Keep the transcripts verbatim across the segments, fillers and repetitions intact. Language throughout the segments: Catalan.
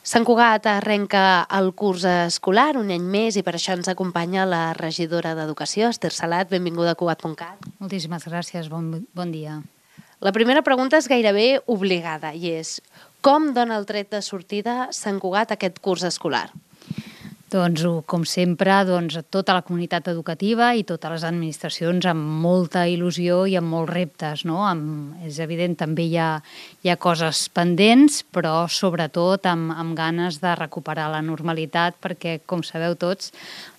Sant Cugat arrenca el curs escolar un any més i per això ens acompanya la regidora d'Educació, Esther Salat. Benvinguda a Cugat punt cat. Moltíssimes gràcies, bon, bon dia. La primera pregunta és gairebé obligada i és: com dona el tret de sortida Sant Cugat a aquest curs escolar? Doncs, com sempre, doncs, tota la comunitat educativa i totes les administracions amb molta il·lusió i amb molts reptes, no? Amb, és evident, també hi ha, hi ha coses pendents, però sobretot amb, amb ganes de recuperar la normalitat, perquè, com sabeu tots,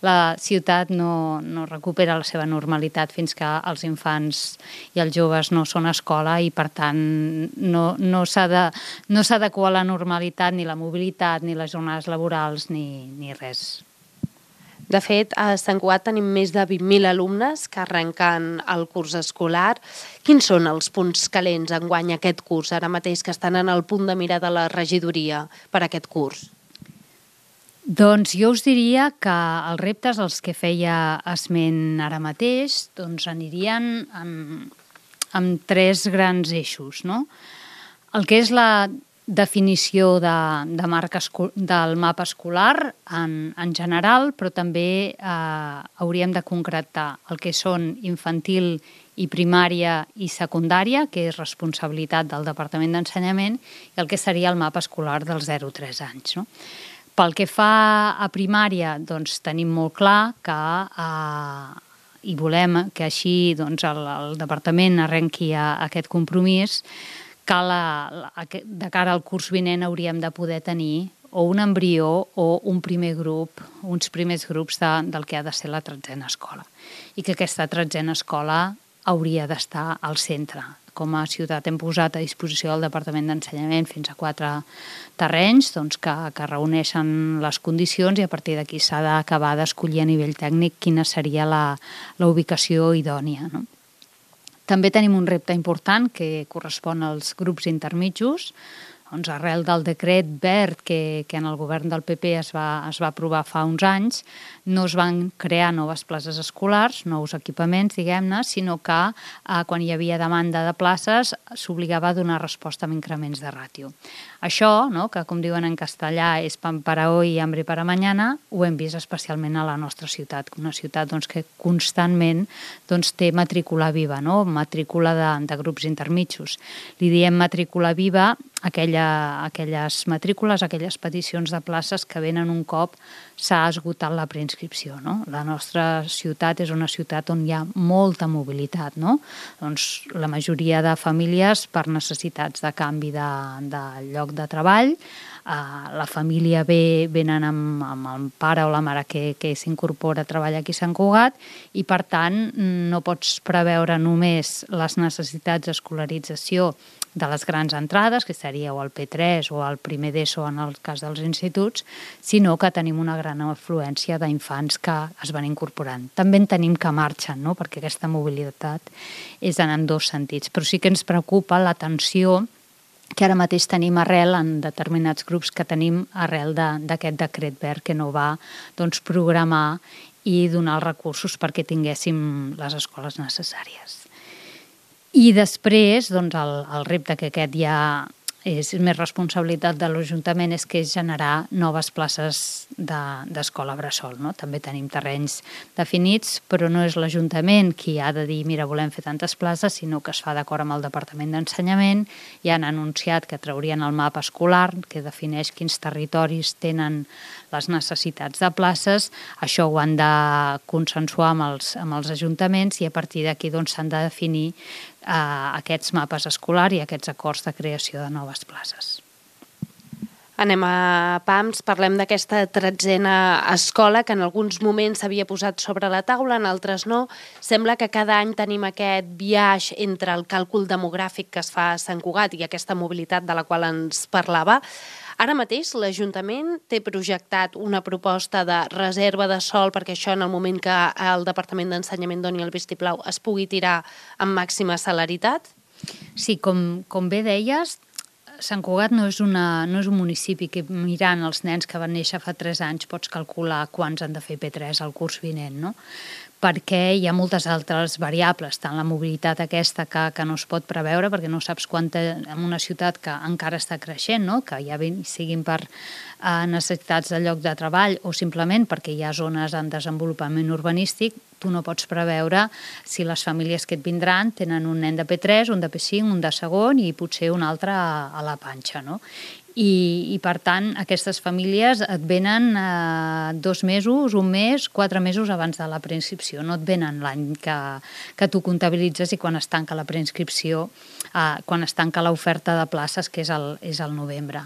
la ciutat no, no recupera la seva normalitat fins que els infants i els joves no són a escola i, per tant, no, no s'ha de, no s'ha d'adequar la normalitat, ni la mobilitat, ni les jornades laborals, ni, ni res. De fet, a Sant Cugat tenim més de vint mil alumnes que arrenquen el curs escolar. Quins són els punts calents enguany aquest curs, ara mateix que estan en el punt de mira de la regidoria per aquest curs? Doncs jo us diria que els reptes als que feia esment ara mateix doncs anirien en, en tres grans eixos, no? El que és la definició de, de marca esco, del mapa escolar en, en general, però també eh, hauríem de concretar el que són infantil i primària i secundària, que és responsabilitat del Departament d'Ensenyament, i el que seria el mapa escolar dels zero a tres anys, no? Pel que fa a primària, doncs tenim molt clar que eh, i volem que així doncs, el, el Departament arrenqui a, a aquest compromís, que la, la, de cara al curs vinent hauríem de poder tenir o un embrió o un primer grup, uns primers grups de, del que ha de ser la tretzena escola. I que aquesta tretzena escola hauria d'estar al centre. Com a ciutat hem posat a disposició del Departament d'Ensenyament fins a quatre terrenys doncs, que, que reuneixen les condicions i a partir d'aquí s'ha d'acabar d'escollir a nivell tècnic quina seria la, la ubicació idònia, no? També tenim un repte important que correspon als grups intermitjos. Doncs arrel del decret verd que, que en el govern del P P es va, es va aprovar fa uns anys, no es van crear noves places escolars, nous equipaments, diguem-ne, sinó que eh, quan hi havia demanda de places s'obligava a donar resposta amb increments de ràtio. Això, no, que com diuen en castellà és pan para hoy y hambre para mañana, ho hem vist especialment a la nostra ciutat, una ciutat doncs, que constantment doncs, té matrícula viva, no? Matrícula de, de grups intermitjos. Li diem matrícula viva aquella, aquelles matrícules, aquelles peticions de places que venen un cop s'ha esgotat la preinscripció, no? La nostra ciutat és una ciutat on hi ha molta mobilitat, no? Doncs la majoria de famílies per necessitats de canvi de, de lloc de treball, eh, la família ve, venen amb, amb el pare o la mare que, que s'incorpora a treballar aquí a Sant Cugat i per tant no pots preveure només les necessitats d'escolarització de les grans entrades, que seria o el P tres o el primer d'ESO en el cas dels instituts, sinó que tenim una gran afluència d'infants que es van incorporant. També en tenim que marxen, no? Perquè aquesta mobilitat és en ambdós sentits. Però sí que ens preocupa la tensió que ara mateix tenim arrel en determinats grups que tenim arrel d'aquest decret verd que no va doncs, programar i donar els recursos perquè tinguéssim les escoles necessàries. I després, doncs, el, el repte que aquest ja és més responsabilitat de l'Ajuntament és que és generar noves places d'escola de, bressol, no? També tenim terrenys definits, però no és l'Ajuntament qui ha de dir mira, volem fer tantes places, sinó que es fa d'acord amb el Departament d'Ensenyament i han anunciat que traurien el mapa escolar que defineix quins territoris tenen les necessitats de places. Això ho han de consensuar amb els, amb els ajuntaments i a partir d'aquí doncs, s'han de definir eh, aquests mapes escolars i aquests acords de creació de noves places. Anem a pams, parlem d'aquesta tretzena escola que en alguns moments s'havia posat sobre la taula, en altres no. Sembla que cada any tenim aquest biaix entre el càlcul demogràfic que es fa a Sant Cugat i aquesta mobilitat de la qual ens parlava. Ara mateix l'Ajuntament té projectat una proposta de reserva de sòl perquè això en el moment que el Departament d'Ensenyament doni el vistiplau es pugui tirar amb màxima celeritat? Sí, com, com bé deies, Sant Cugat no és, una, no és un municipi que mirant els nens que van néixer fa tres anys pots calcular quants han de fer P tres al curs vinent, no? Perquè hi ha moltes altres variables, tant la mobilitat aquesta que, que no es pot preveure, perquè no saps quanta, en una ciutat que encara està creixent, no? Que ja siguin per eh, necessitats de lloc de treball o simplement perquè hi ha zones en desenvolupament urbanístic, tu no pots preveure si les famílies que et vindran tenen un nen de P tres, un de P cinc, un de segon i potser un altre a, a la panxa, no? I, i per tant aquestes famílies et venen eh, dos mesos, un mes, quatre mesos abans de la preinscripció, no et venen l'any que, que tu comptabilitzes i quan es tanca la preinscripció, eh, quan es tanca l'oferta de places, que és el, és el novembre.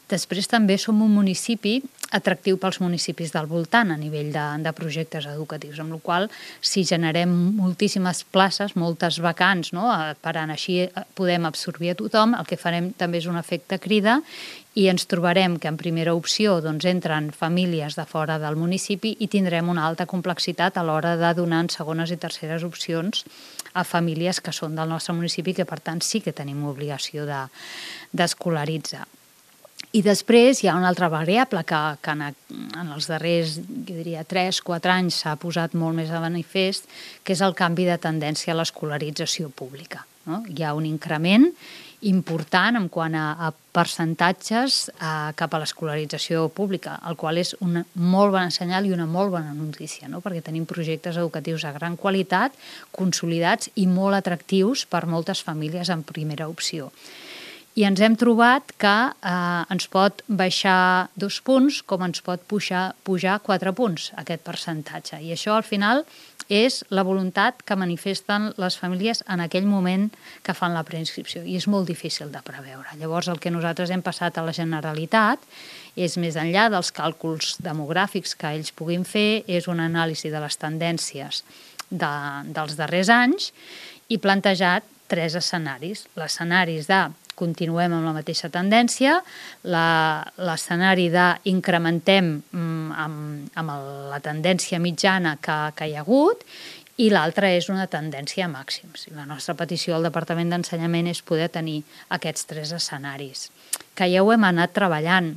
Després també som un municipi atractiu pels municipis del voltant a nivell de, de projectes educatius, amb la qual cosa, si generem moltíssimes places, moltes vacants, no? Per tant, així podem absorbir a tothom, el que farem també és un efecte crida i ens trobarem que en primera opció doncs, entren famílies de fora del municipi i tindrem una alta complexitat a l'hora de donar en segones i terceres opcions a famílies que són del nostre municipi, que per tant sí que tenim obligació de, d'escolaritzar. I després hi ha una altra variable que, que en, en els darrers, jo diria, tres quatre anys s'ha posat molt més de manifest, que és el canvi de tendència a l'escolarització pública, no? Hi ha un increment important en quant a, a percentatges eh, cap a l'escolarització pública, el qual és un molt bon senyal i una molt bona notícia, no? Perquè tenim projectes educatius de gran qualitat, consolidats i molt atractius per moltes famílies en primera opció. I ens hem trobat que eh, ens pot baixar dos punts com ens pot pujar, pujar quatre punts aquest percentatge. I això al final és la voluntat que manifesten les famílies en aquell moment que fan la preinscripció i és molt difícil de preveure. Llavors el que nosaltres hem passat a la Generalitat és més enllà dels càlculs demogràfics que ells puguin fer, és una anàlisi de les tendències de, dels darrers anys i plantejat tres escenaris. L'escenaris de continuem amb la mateixa tendència, la, l'escenari d'incrementem amb, amb la tendència mitjana que, que hi ha hagut i l'altra és una tendència a màxims. I la nostra petició al Departament d'Ensenyament és poder tenir aquests tres escenaris, que ja ho hem anat treballant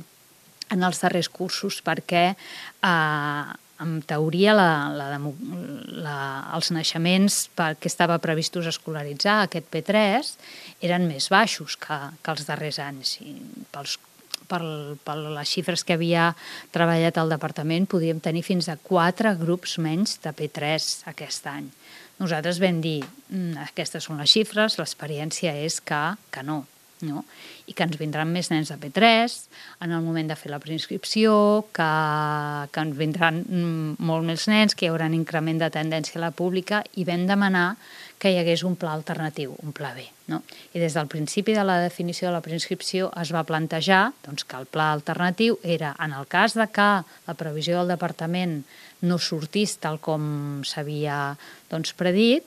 en els darrers cursos perquè eh, en teoria la, la, la, els naixements que estava previstos escolaritzar aquest P tres eren més baixos que, que els darrers anys. I pels, per, per les xifres que havia treballat el departament podíem tenir fins a quatre grups menys de P tres aquest any. Nosaltres vam dir, aquestes són les xifres, l'experiència és que, que no. No? I que ens vindran més nens de P tres en el moment de fer la preinscripció, que, que ens vindran molt més nens, que hi haurà un increment de tendència a la pública i vam demanar que hi hagués un pla alternatiu, un pla B. No? I des del principi de la definició de la preinscripció es va plantejar doncs, que el pla alternatiu era, en el cas de que la previsió del departament no sortís tal com s'havia doncs, predit,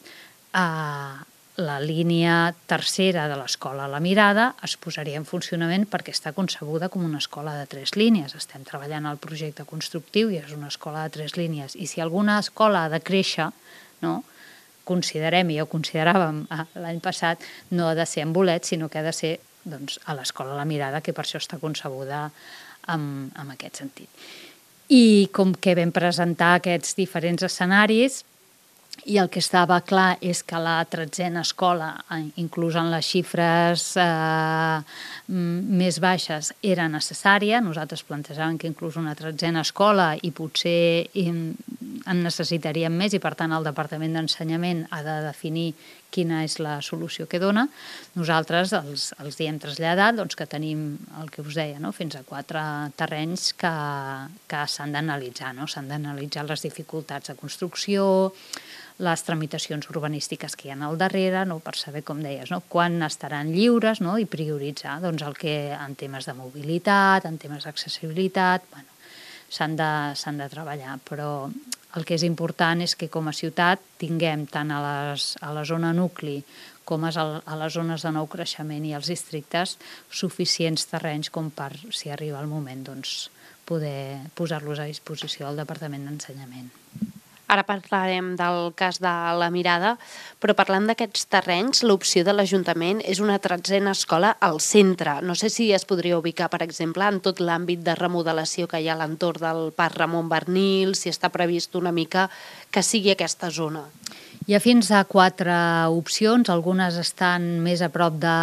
eh, la línia tercera de l'escola La Mirada es posaria en funcionament perquè està concebuda com una escola de tres línies. Estem treballant al projecte constructiu i és una escola de tres línies. I si alguna escola ha de créixer, no, considerem, i ja ho consideràvem l'any passat, no ha de ser en bolet, sinó que ha de ser doncs, a l'escola La Mirada, que per això està concebuda en, en aquest sentit. I com que vam presentar aquests diferents escenaris, i el que estava clar és que la tretzena escola, inclús en les xifres eh, més baixes, era necessària. Nosaltres plantejàvem que inclús una tretzena escola i potser en necessitaríem més i per tant el Departament d'Ensenyament ha de definir quina és la solució que dona. Nosaltres els, els hi hem traslladat doncs, que tenim el que us deia, no? Fins a quatre terrenys que, que s'han d'analitzar, no? S'han d'analitzar les dificultats de construcció, les tramitacions urbanístiques que hi ha al darrere, no? Per saber, com deies, no? Quan estaran lliures, no? I prioritzar doncs, el que en temes de mobilitat, en temes d'accessibilitat, bueno, s'han de, s'han de treballar, però el que és important és que com a ciutat tinguem tant a, les, a la zona nucli com a les zones de nou creixement i als districtes suficients terrenys com per, si arriba el moment, doncs, poder posar-los a disposició del Departament d'Ensenyament. Ara parlarem del cas de la Mirada, però parlant d'aquests terrenys, l'opció de l'Ajuntament és una tretzena escola al centre. No sé si es podria ubicar, per exemple, en tot l'àmbit de remodelació que hi ha a l'entorn del Parc Ramon Barnil, si està previst una mica que sigui aquesta zona. Hi ha fins a quatre opcions, algunes estan més a prop de,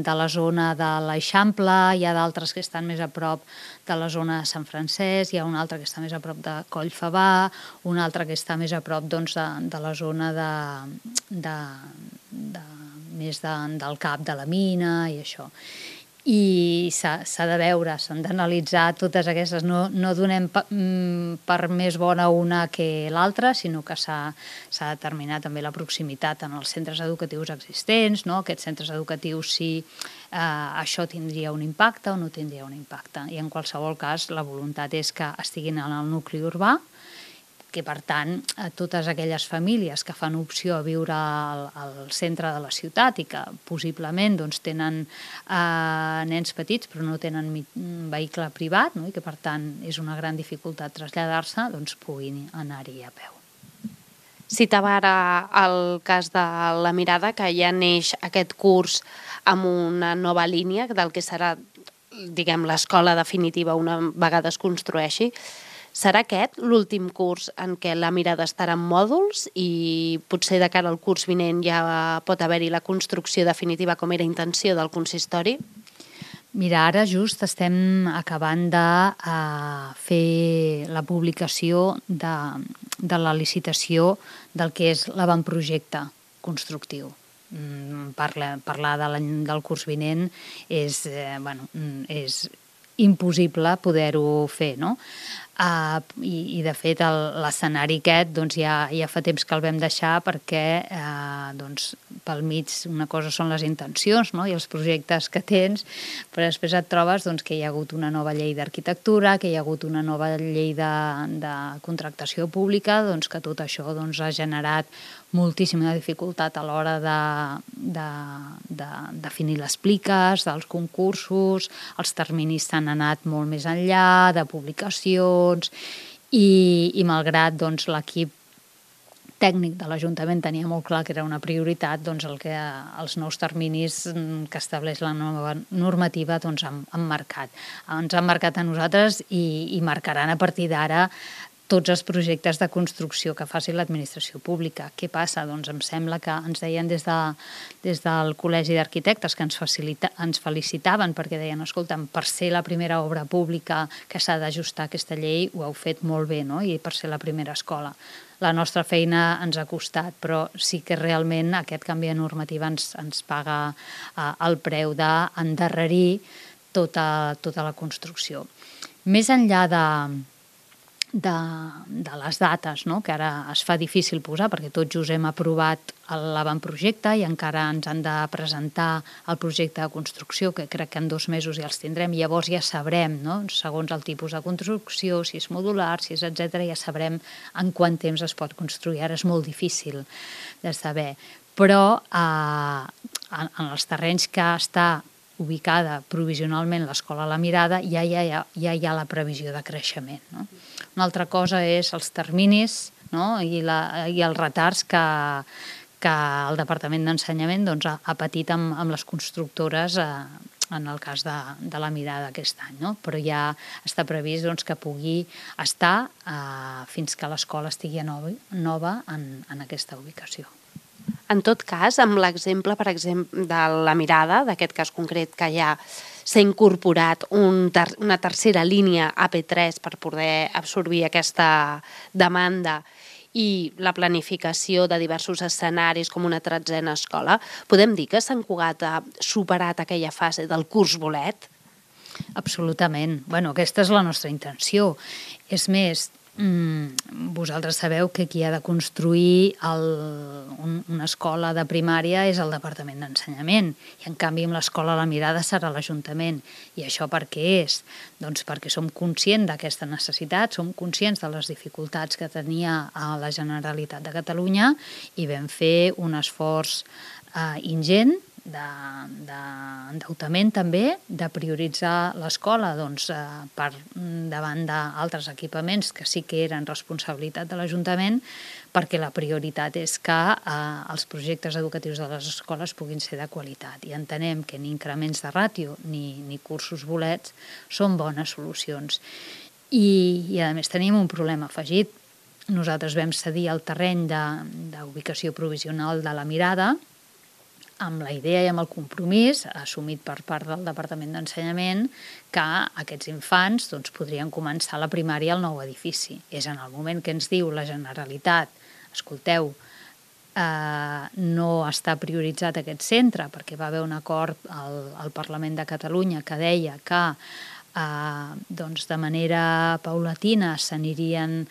de la zona de l'Eixample, hi ha d'altres que estan més a prop de la zona de Sant Francesc, hi ha una altra que està més a prop de Collfabà, una altra que està més a prop doncs, de, de la zona de, de, de, més de, del cap de la mina i això. I s'ha de veure, s'han d'analitzar totes aquestes. No, no donem per, per més bona una que l'altra, sinó que s'ha de determinar també la proximitat en els centres educatius existents, no? Aquests centres educatius, si eh, això tindria un impacte o no tindria un impacte. I en qualsevol cas, la voluntat és que estiguin en el nucli urbà, que per tant totes aquelles famílies que fan opció a viure al, al centre de la ciutat i que possiblement doncs, tenen eh, nens petits però no tenen vehicle privat, no? I que per tant és una gran dificultat traslladar-se, doncs puguin anar-hi a peu. Citava ara el cas de la Mirada, que ja neix aquest curs amb una nova línia del que serà, diguem, l'escola definitiva una vegada es construeixi. Serà aquest l'últim curs en què la Mirada estarà en mòduls i potser de cara al curs vinent ja pot haver-hi la construcció definitiva com era intenció del consistori? Mira, ara just estem acabant de uh, fer la publicació de, de la licitació del que és l'avantprojecte constructiu. Parla, parlar de del curs vinent és, eh, bueno, és impossible poder-ho fer, no? Uh, i, i de fet l'escenari aquest doncs ja, ja fa temps que el vam deixar perquè uh, doncs, pel mig una cosa són les intencions, no? I els projectes que tens, però després et trobes doncs, que hi ha hagut una nova llei d'arquitectura, que hi ha hagut una nova llei de, de contractació pública, doncs, que tot això doncs, ha generat moltíssima dificultat a l'hora de, de, de definir les pliques, dels concursos, els terminis s'han anat molt més enllà, de publicacions, i, i malgrat doncs, l'equip tècnic de l'Ajuntament tenia molt clar que era una prioritat, doncs el que els nous terminis que estableix la nova normativa doncs, han, han marcat. Ens han marcat a nosaltres i, i marcaran a partir d'ara tots els projectes de construcció que faci l'administració pública. Què passa? Doncs em sembla que ens deien des, de, des del Col·legi d'Arquitectes que ens, facilita, ens felicitaven perquè deien, escolta'm, per ser la primera obra pública que s'ha d'ajustar aquesta llei ho heu fet molt bé, no? I per ser la primera escola. La nostra feina ens ha costat, però sí que realment aquest canvi de normativa ens, ens paga eh, el preu d'endarrerir tota, tota la construcció. Més enllà de De, de les dates, no? Que ara es fa difícil posar perquè tots just hem aprovat l'avantprojecte i encara ens han de presentar el projecte de construcció, que crec que en dos mesos ja els tindrem, i llavors ja sabrem, no? Segons el tipus de construcció, si és modular, si és etcètera, ja sabrem en quant temps es pot construir. Ara és molt difícil de saber, però eh, en, en els terrenys que està ubicada provisionalment l'escola La Mirada, ja, ja, ja, ja hi ha la previsió de creixement, no? Una altra cosa és els terminis, no? I, la, i els retards que, que el Departament d'Ensenyament doncs, ha, ha patit amb, amb les constructores eh, en el cas de, de La Mirada aquest any, no? Però ja està previst doncs, que pugui estar eh, fins que l'escola estigui nova, nova en, en aquesta ubicació. En tot cas, amb l'exemple, per exemple, de La Mirada, d'aquest cas concret que ja s'ha incorporat un ter una tercera línia A P tres per poder absorbir aquesta demanda i la planificació de diversos escenaris com una tretzena escola, podem dir que Sant Cugat ha superat aquella fase del curs bolet? Absolutament. Bueno, aquesta és la nostra intenció. És més, vosaltres sabeu que qui ha de construir el, un, una escola de primària és el Departament d'Ensenyament i en canvi amb l'escola La Mirada serà l'Ajuntament. I això per què és? Doncs perquè som conscients d'aquesta necessitat, som conscients de les dificultats que tenia a la Generalitat de Catalunya i vam fer un esforç eh, ingent d'endeutament també, de prioritzar l'escola doncs, eh, per davant d'altres equipaments que sí que eren responsabilitat de l'Ajuntament, perquè la prioritat és que eh, els projectes educatius de les escoles puguin ser de qualitat. I entenem que ni increments de ràtio ni, ni cursos bolets són bones solucions. I, i a més tenim un problema afegit. Nosaltres vam cedir el terreny d'ubicació provisional de la Mirada amb la idea i amb el compromís assumit per part del Departament d'Ensenyament que aquests infants doncs, podrien començar la primària al nou edifici. És en el moment que ens diu la Generalitat, escolteu, eh, no està prioritzat aquest centre perquè va haver un acord al, al Parlament de Catalunya que deia que eh, doncs, de manera paulatina s'anirien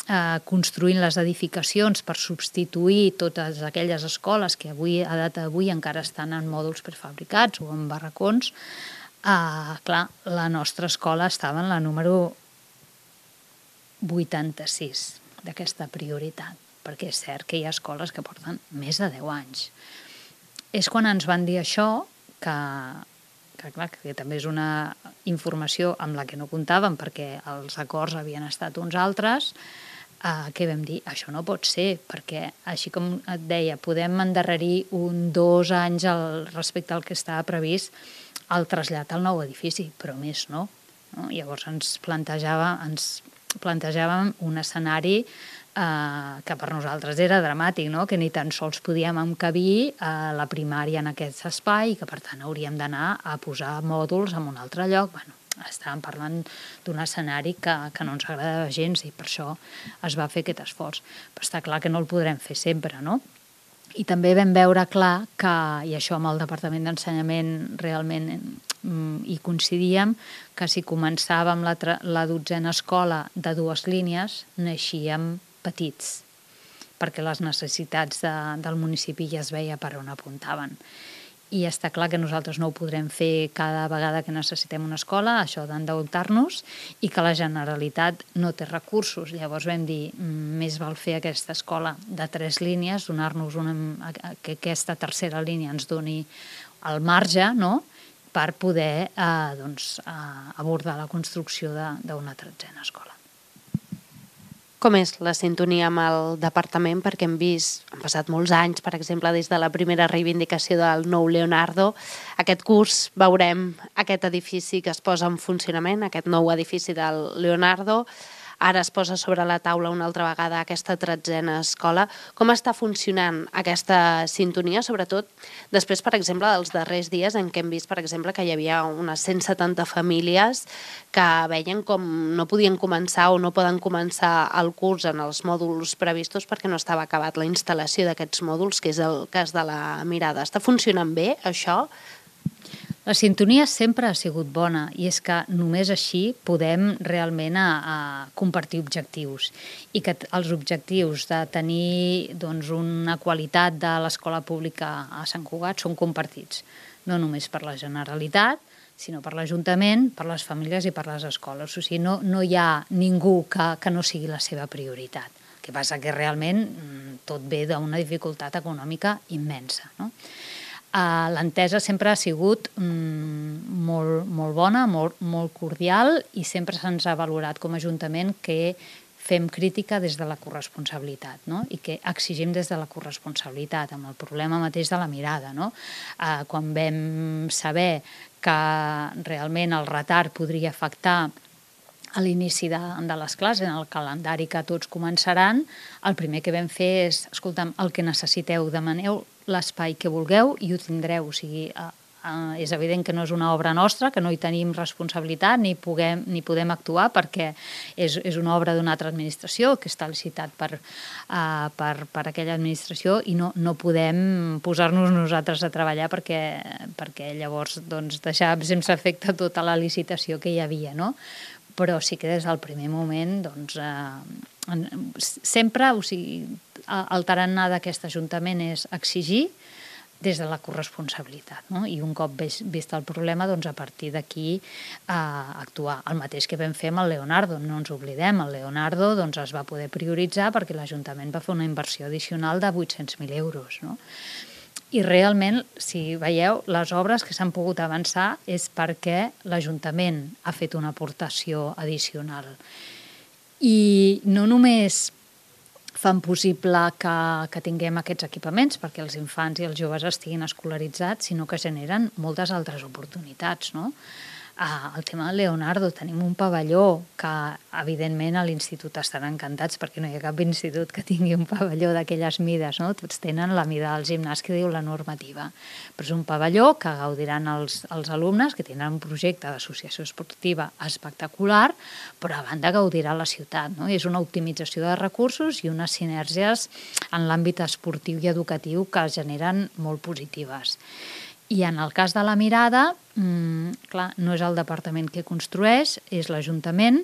Eh, construint les edificacions per substituir totes aquelles escoles que avui, a data d'avui encara estan en mòduls prefabricats o en barracons, eh, clar, la nostra escola estava en la número vuitanta-sis d'aquesta prioritat, perquè és cert que hi ha escoles que porten més de deu anys. És quan ens van dir això que, que, clar, que també és una informació amb la que no comptàvem perquè els acords havien estat uns altres, Uh, que vam dir, això no pot ser, perquè així com et deia, podem endarrerir un, dos anys al, respecte al que estava previst el trasllat al nou edifici, però més no. no? Llavors ens, plantejava, ens plantejàvem un escenari uh, que per nosaltres era dramàtic, no? Que ni tan sols podíem encabir uh, la primària en aquest espai i que per tant hauríem d'anar a posar mòduls en un altre lloc. Bueno, estàvem parlant d'un escenari que, que no ens agradava gens i per això es va fer aquest esforç. Però està clar que no el podrem fer sempre, no? I també vam veure clar que, i això amb el Departament d'Ensenyament realment hi coincidíem, que si començàvem la, la dotzena escola de dues línies, naixíem petits, perquè les necessitats de, del municipi ja es veia per on apuntaven. I està clar que nosaltres no ho podrem fer cada vegada que necessitem una escola, això d'endeutar-nos, i que la Generalitat no té recursos. Llavors vam dir, més val fer aquesta escola de tres línies, donar-nos una, que aquesta tercera línia ens doni el marge, no?, per poder eh, doncs, eh, abordar la construcció d'una tretzena escola. Com és la sintonia amb el departament? Perquè hem vist, han passat molts anys, per exemple, des de la primera reivindicació del nou Leonardo. Aquest curs veurem aquest edifici que es posa en funcionament, aquest nou edifici del Leonardo. Ara es posa sobre la taula una altra vegada aquesta tretzena escola. Com està funcionant aquesta sintonia, sobretot després, per exemple, dels darrers dies en què hem vist, per exemple, que hi havia unes cent setanta famílies que veien com no podien començar o no poden començar el curs en els mòduls previstos perquè no estava acabat la instal·lació d'aquests mòduls, que és el cas de la Mirada. Està funcionant bé, això? La sintonia sempre ha sigut bona i és que només així podem realment a, a compartir objectius i que els objectius de tenir doncs, una qualitat de l'escola pública a Sant Cugat són compartits, no només per la Generalitat, sinó per l'Ajuntament, per les famílies i per les escoles. O sigui, no, no hi ha ningú que, que no sigui la seva prioritat. El que passa que realment tot ve d'una dificultat econòmica immensa, no? Uh, l'entesa sempre ha sigut mm, molt, molt bona, molt, molt cordial i sempre se'ns ha valorat com a Ajuntament que fem crítica des de la corresponsabilitat, no? I que exigim des de la corresponsabilitat, amb el problema mateix de la Mirada, no? Uh, quan vam saber que realment el retard podria afectar a l'inici de, de les classes, en el calendari que tots començaran, el primer que vam fer és, escolta'm, el que necessiteu, demaneu l'espai que vulgueu i ho tindreu. O sigui, eh, eh, és evident que no és una obra nostra, que no hi tenim responsabilitat ni, puguem, ni podem actuar perquè és, és una obra d'una altra administració que està licitat per, eh, per, per aquella administració i no, no podem posar-nos nosaltres a treballar perquè, perquè llavors doncs, deixar sense efecte tota la licitació que hi havia, no? Però sí que des del primer moment doncs, eh, sempre, o sigui, el tarannà d'aquest Ajuntament és exigir des de la corresponsabilitat, no? I un cop vist el problema, doncs a partir d'aquí eh, actuar. El mateix que vam fer amb el Leonardo, no ens oblidem, el Leonardo doncs, es va poder prioritzar perquè l'Ajuntament va fer una inversió addicional de vuit-cents mil euros, no? I realment, si veieu, les obres que s'han pogut avançar és perquè l'Ajuntament ha fet una aportació addicional. I no només fan possible que, que tinguem aquests equipaments perquè els infants i els joves estiguin escolaritzats, sinó que generen moltes altres oportunitats, no? Ah, el tema del Leonardo, tenim un pavelló que evidentment a l'institut estaran encantats perquè no hi ha cap institut que tingui un pavelló d'aquelles mides, no? Tots tenen la mida del gimnàs que diu la normativa, però és un pavelló que gaudiran els, els alumnes que tenen un projecte d'associació esportiva espectacular, però a banda gaudirà la ciutat, no? I és una optimització de recursos i unes sinergies en l'àmbit esportiu i educatiu que es generen molt positives. I en el cas de la Mirada, mmm, clar, no és el departament que construeix, és l'Ajuntament,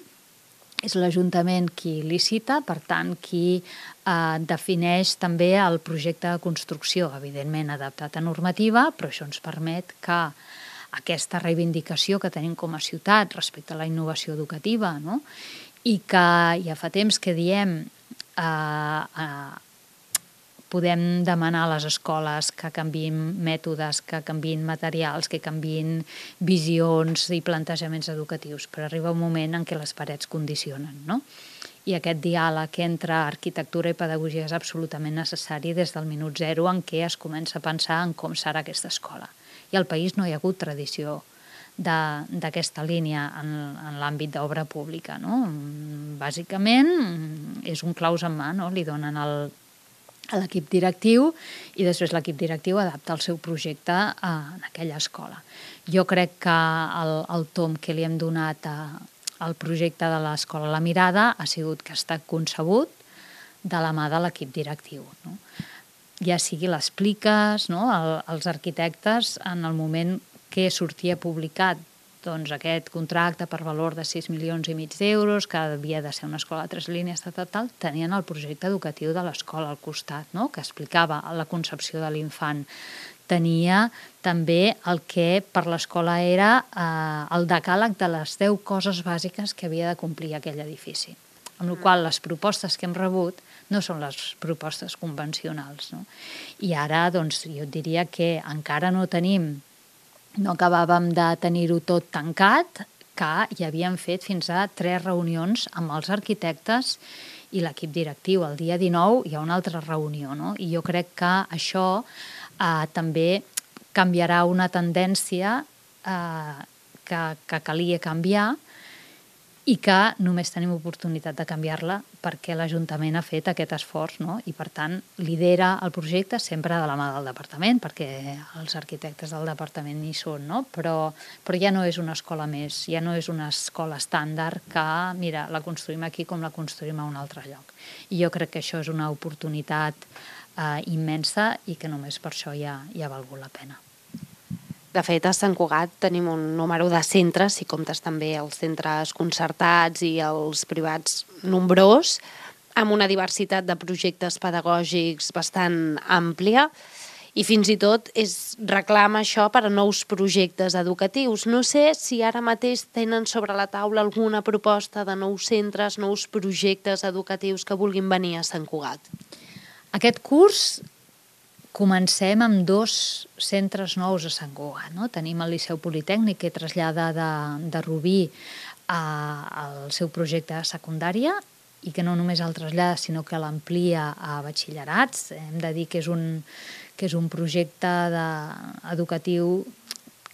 és l'Ajuntament qui licita, per tant, qui eh, defineix també el projecte de construcció, evidentment adaptat a normativa, però això ens permet que aquesta reivindicació que tenim com a ciutat respecte a la innovació educativa, no? I que ja fa temps que diem eh, eh, podem demanar a les escoles que canviïn mètodes, que canviïn materials, que canviïn visions i plantejaments educatius, però arriba un moment en què les parets condicionen, no? I aquest diàleg entre arquitectura i pedagogia és absolutament necessari des del minut zero en què es comença a pensar en com serà aquesta escola. I al país no hi ha hagut tradició d'aquesta línia en, en l'àmbit d'obra pública, no? Bàsicament és un claus en mà, no? Li donen el a l'equip directiu i després l'equip directiu adapta el seu projecte a, en aquella escola. Jo crec que el, el tom que li hem donat a, al projecte de l'escola La Mirada ha sigut que està concebut de la mà de l'equip directiu, no? Ja sigui les pliques, no? el, els arquitectes, en el moment que sortia publicat doncs aquest contracte per valor de sis milions i mig d'euros, que havia de ser una escola de tres línies, tal, tal, tenien el projecte educatiu de l'escola al costat, no? Que explicava la concepció de l'infant. Tenia també el que per l'escola era eh, el decàleg de les deu coses bàsiques que havia de complir aquell edifici. Amb la qual les propostes que hem rebut no són les propostes convencionals, no? I ara, doncs, jo diria que encara no tenim no acabàvem de tenir-ho tot tancat, que hi havíem fet fins a tres reunions amb els arquitectes i l'equip directiu. El dia dinou hi ha una altra reunió, no? I jo crec que això eh, també canviarà una tendència eh, que, que calia canviar i que només tenim oportunitat de canviar-la perquè l'Ajuntament ha fet aquest esforç, no? I, per tant, lidera el projecte sempre de la mà del departament, perquè els arquitectes del departament hi són, no? Però, però ja no és una escola més, ja no és una escola estàndard que, mira, la construïm aquí com la construïm a un altre lloc. I jo crec que això és una oportunitat eh, immensa i que només per això ja, ja ha valgut la pena. De fet, a Sant Cugat tenim un número de centres, si comptes també els centres concertats i els privats nombrós, amb una diversitat de projectes pedagògics bastant àmplia i fins i tot és reclama això per a nous projectes educatius. No sé si ara mateix tenen sobre la taula alguna proposta de nous centres, nous projectes educatius que vulguin venir a Sant Cugat. Aquest curs comencem amb dos centres nous a Sant Cugat, no? Tenim el Liceu Politècnic, que trasllada de, de Rubí a, al seu projecte de secundària i que no només el trasllada, sinó que l'amplia a batxillerats. Hem de dir que és un, que és un projecte de, educatiu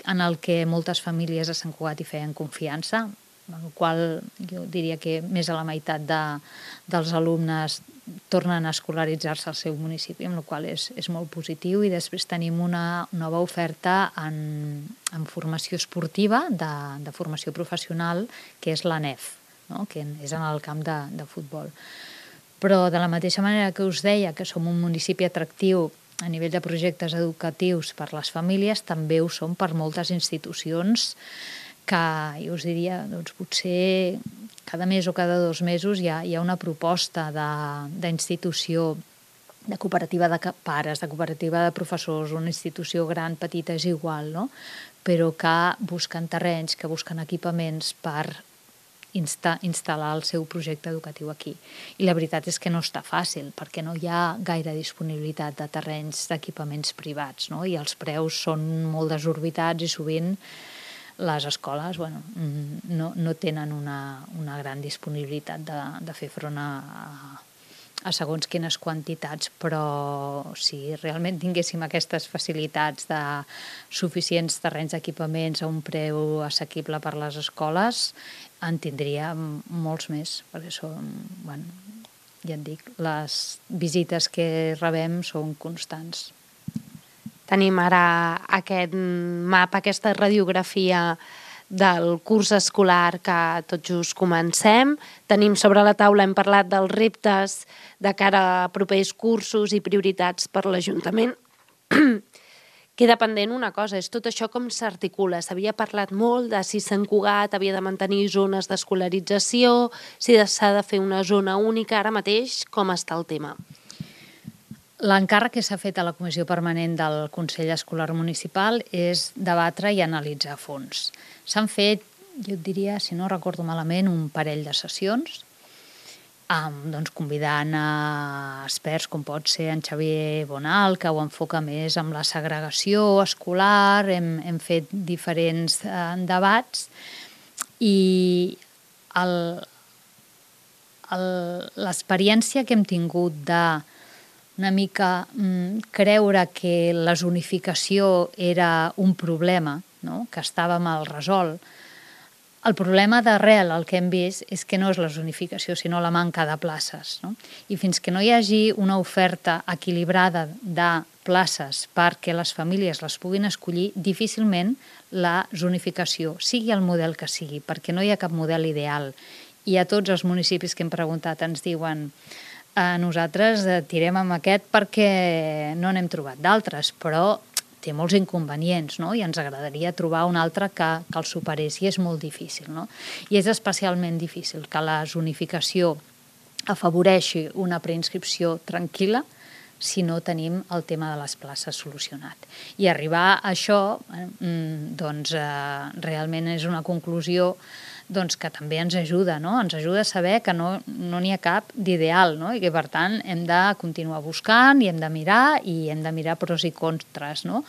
en el que moltes famílies a Sant Cugat hi feien confiança, amb la qual jo diria que més de la meitat de, dels alumnes tornen a escolaritzar-se al seu municipi, amb la qual és, és molt positiu. I després tenim una nova oferta en, en formació esportiva, de, de formació professional, que és l'A N E F, no? Que és en el camp de, de futbol. Però de la mateixa manera que us deia que som un municipi atractiu a nivell de projectes educatius per les famílies, també ho som per moltes institucions que jo us diria, doncs potser cada mes o cada dos mesos hi ha, hi ha una proposta d'institució, de, de cooperativa de pares, de cooperativa de professors, una institució gran, petita, és igual, no? Però que busquen terrenys, que busquen equipaments per insta, instal·lar el seu projecte educatiu aquí. I la veritat és que no està fàcil, perquè no hi ha gaire disponibilitat de terrenys d'equipaments privats, no? I els preus són molt desorbitats i sovint les escoles bueno, no, no tenen una, una gran disponibilitat de, de fer front a, a segons quines quantitats, però si realment tinguéssim aquestes facilitats de suficients terrenys d'equipaments a un preu assequible per les escoles, en tindríem molts més, perquè són, bueno, ja et dic, les visites que rebem són constants. Tenim ara aquest mapa, aquesta radiografia del curs escolar que tot just comencem. Tenim sobre la taula, hem parlat dels reptes de cara a propers cursos i prioritats per l'Ajuntament. Queda pendent una cosa, és tot això com s'articula. S'havia parlat molt de si Sant Cugat havia de mantenir zones d'escolarització, si s'ha de fer una zona única. Ara mateix, com està el tema? L'encàrrec que s'ha fet a la Comissió Permanent del Consell Escolar Municipal és debatre i analitzar a fons. S'han fet, jo et diria, si no recordo malament, un parell de sessions, amb, doncs, convidant a experts com pot ser en Xavier Bonal, que ho enfoca més amb la segregació escolar, hem, hem fet diferents eh, debats i l'experiència que hem tingut de una mica mm, creure que la zonificació era un problema, no? Que estava mal resolt. El problema d'arrel, el que hem vist, és que no és la zonificació, sinó la manca de places. No? I fins que no hi hagi una oferta equilibrada de places perquè les famílies les puguin escollir, difícilment la zonificació, sigui el model que sigui, perquè no hi ha cap model ideal. I a tots els municipis que hem preguntat ens diuen Eh, nosaltres tirem amb aquest perquè no n'hem trobat d'altres, però té molts inconvenients, no? I ens agradaria trobar un altre que, que el superés, i és molt difícil, no? I és especialment difícil que la zonificació afavoreixi una preinscripció tranquil·la si no tenim el tema de les places solucionat. I arribar a això, eh, doncs, eh, realment és una conclusió doncs que també ens ajuda, no? Ens ajuda a saber que no no n'hi ha cap d'ideal, no? I que, per tant, hem de continuar buscant i hem de mirar i hem de mirar pros i contres, no?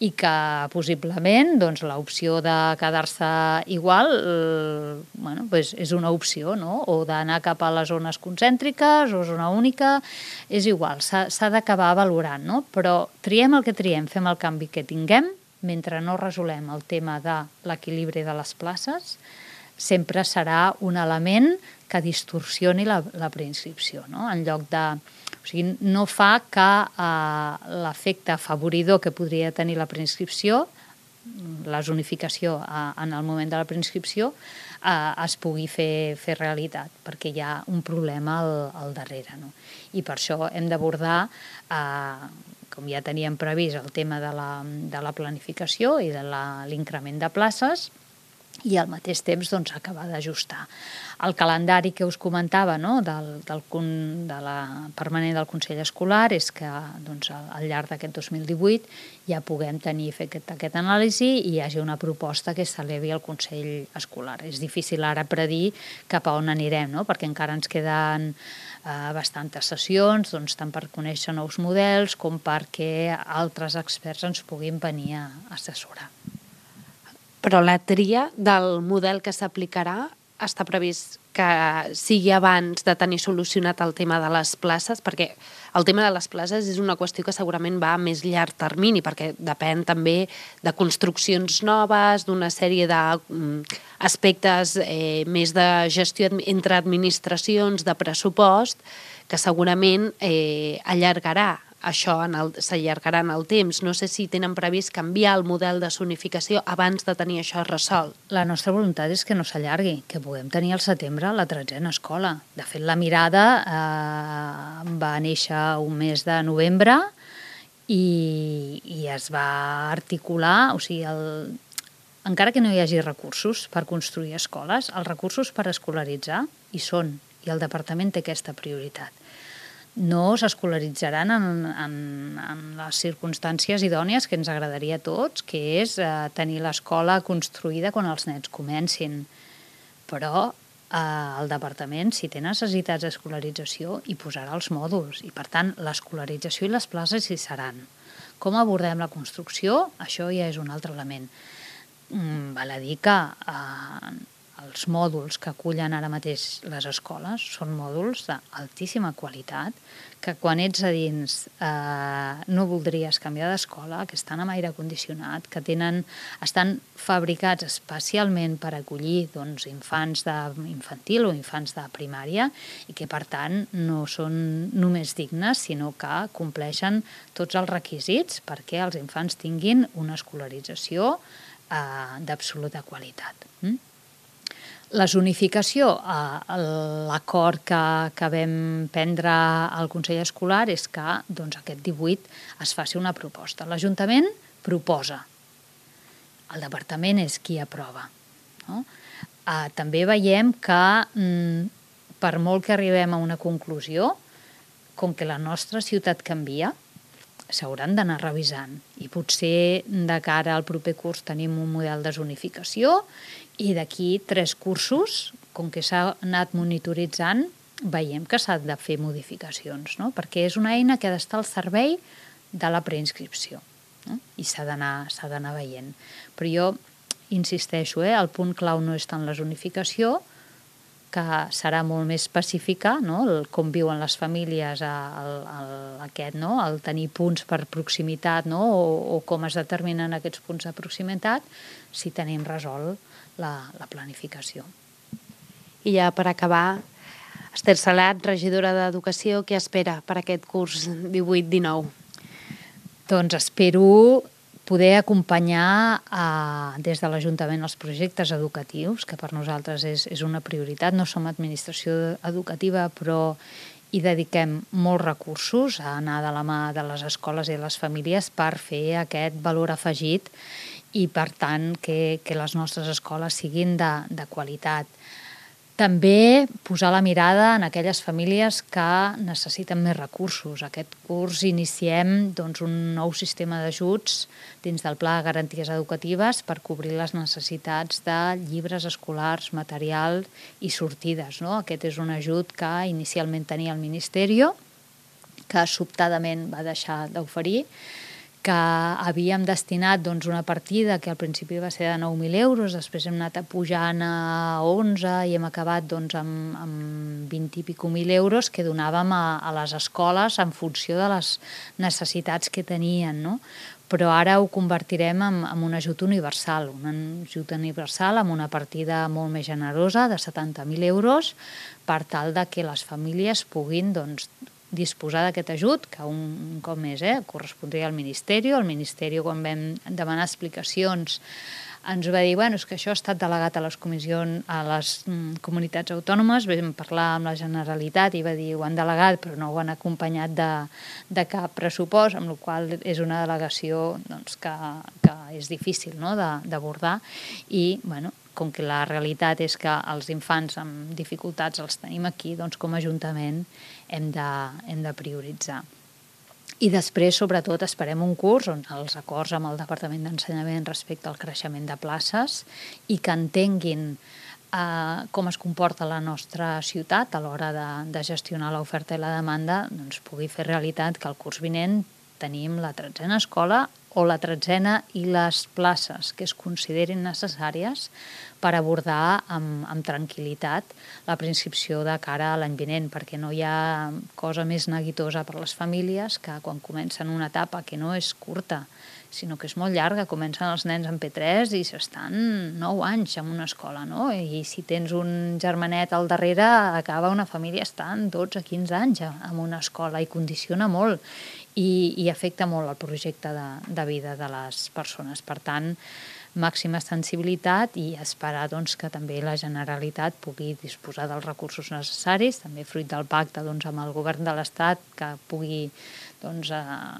I que, possiblement, doncs, l'opció de quedar-se igual eh, bueno, pues és una opció, no? O d'anar cap a les zones concèntriques o zona única, és igual, s'ha d'acabar valorant, no? Però triem el que triem, fem el canvi que tinguem, mentre no resolem el tema de l'equilibri de les places, sempre serà un element que distorsioni la, la preinscripció, no? En lloc de... O sigui, no fa que eh, l'efecte afavoridor que podria tenir la preinscripció, la zonificació eh, en el moment de la preinscripció, eh, es pugui fer, fer realitat, perquè hi ha un problema al, al darrere, no? I per això hem d'abordar, eh, com ja teníem previst, el tema de la, de la planificació i de l'increment de places, i al mateix temps doncs, acabar d'ajustar. El calendari que us comentava, no? del, del, de la permanent del Consell Escolar és que doncs, al llarg d'aquest dos mil divuit ja puguem tenir fet aquest, aquest anàlisi i hi hagi una proposta que s'elevi al Consell Escolar. És difícil ara predir cap a on anirem, no? Perquè encara ens queden eh, bastantes sessions, doncs, tant per conèixer nous models com perquè altres experts ens puguin venir a assessorar. Però la tria del model que s'aplicarà està previst que sigui abans de tenir solucionat el tema de les places, perquè el tema de les places és una qüestió que segurament va a més llarg termini, perquè depèn també de construccions noves, d'una sèrie d'aspectes eh, més de gestió entre administracions, de pressupost, que segurament eh, allargarà això s'allargarà en el temps. No sé si tenen previst canviar el model de zonificació abans de tenir això resolt. La nostra voluntat és que no s'allargui, que puguem tenir al setembre la tretzena escola. De fet, la mirada eh, va néixer un mes de novembre i, i es va articular, o sigui, el, encara que no hi hagi recursos per construir escoles, els recursos per escolaritzar hi són, i el departament té aquesta prioritat. No s'escolaritzaran en, en, en les circumstàncies idònies que ens agradaria a tots, que és eh, tenir l'escola construïda quan els nens comencin. Però el departament, si té necessitats d'escolarització, hi posarà els mòduls i, per tant, l'escolarització i les places hi seran. Com abordem la construcció? Això ja és un altre element. Val a dir que eh, els mòduls que acullen ara mateix les escoles són mòduls d'altíssima qualitat, que quan ets a dins eh, no voldries canviar d'escola, que estan amb aire condicionat, que tenen, estan fabricats especialment per acollir doncs, infants d'infantil o infants de primària i que, per tant, no són només dignes, sinó que compleixen tots els requisits perquè els infants tinguin una escolarització eh, d'absoluta qualitat. Mm? La zonificació, l'acord que, que vam prendre al Consell Escolar és que doncs, aquest divuit es faci una proposta. L'Ajuntament proposa, el Departament és qui aprova. No? Eh, també veiem que mm, per molt que arribem a una conclusió, com que la nostra ciutat canvia, s'hauran d'anar revisant i potser de cara al proper curs tenim un model de zonificació i d'aquí tres cursos, com que s'ha anat monitoritzant, veiem que s'han de fer modificacions, no? Perquè és una eina que ha d'estar al servei de la preinscripció, no? I s'ha d'anar veient. Però jo insisteixo, eh? El punt clau no és tant la zonificació, que serà molt més específica, no? El, com viuen les famílies, el, el, aquest, no? El tenir punts per proximitat, no? o, o com es determinen aquests punts de proximitat, si tenim resolt la, la planificació. I ja per acabar, Esther Salat, regidora d'Educació, què espera per aquest curs divuit dinou? Doncs espero poder acompanyar eh, des de l'Ajuntament els projectes educatius, que per nosaltres és, és una prioritat. No som administració educativa, però hi dediquem molts recursos a anar de la mà de les escoles i de les famílies per fer aquest valor afegit i, per tant, que, que les nostres escoles siguin de, de qualitat. També posar la mirada en aquelles famílies que necessiten més recursos. Aquest curs iniciem doncs, un nou sistema d'ajuts dins del Pla de Garanties Educatives per cobrir les necessitats de llibres escolars, material i sortides. No? Aquest és un ajut que inicialment tenia el Ministeri, que sobtadament va deixar d'oferir, que havíem destinat doncs, una partida que al principi va ser de nou mil euros, després hem anat pujant a onze i hem acabat doncs, amb, amb vint i pico mil euros que donàvem a, a les escoles en funció de les necessitats que tenien, no? Però ara ho convertirem en, en un ajut universal, un ajut universal amb una partida molt més generosa de setanta mil euros per tal de que les famílies puguin doncs, disposar d'aquest ajut, que un cop més eh, correspondria al Ministeri. El Ministeri, quan vam demanar explicacions, ens va dir bueno, és que això ha estat delegat a les comissions, a les mm, comunitats autònomes. Vam parlar amb la Generalitat i va dir ho han delegat, però no ho han acompanyat de, de cap pressupost, amb la qual és una delegació doncs, que, que és difícil no, d'abordar. I, bueno, com que la realitat és que els infants amb dificultats els tenim aquí, doncs com a Ajuntament hem de, hem de prioritzar. I després, sobretot, esperem un curs on els acords amb el Departament d'Ensenyament respecte al creixement de places i que entenguin eh, com es comporta la nostra ciutat a l'hora de, de gestionar l'oferta i la demanda, doncs pugui fer realitat que el curs vinent tenim la tretzena escola o la tretzena i les places que es considerin necessàries per abordar amb, amb tranquil·litat la preinscripció de cara a l'any vinent, perquè no hi ha cosa més neguitosa per a les famílies que quan comencen una etapa que no és curta, sinó que és molt llarga. Comencen els nens en P tres i s'estan nou anys en una escola, no? I si tens un germanet al darrere, acaba una família estant dotze a quinze anys en una escola i condiciona molt i, i afecta molt el projecte de, de vida de les persones. Per tant, màxima sensibilitat i esperar doncs, que també la Generalitat pugui disposar dels recursos necessaris, també fruit del pacte doncs, amb el Govern de l'Estat, que pugui doncs,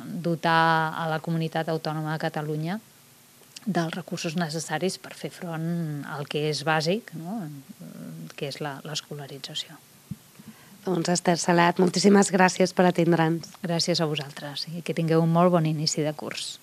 dotar a la comunitat autònoma de Catalunya dels recursos necessaris per fer front al que és bàsic, no? Que és l'escolarització. Doncs Esther Salat, moltíssimes gràcies per atendre'ns. Gràcies a vosaltres i que tingueu un molt bon inici de curs.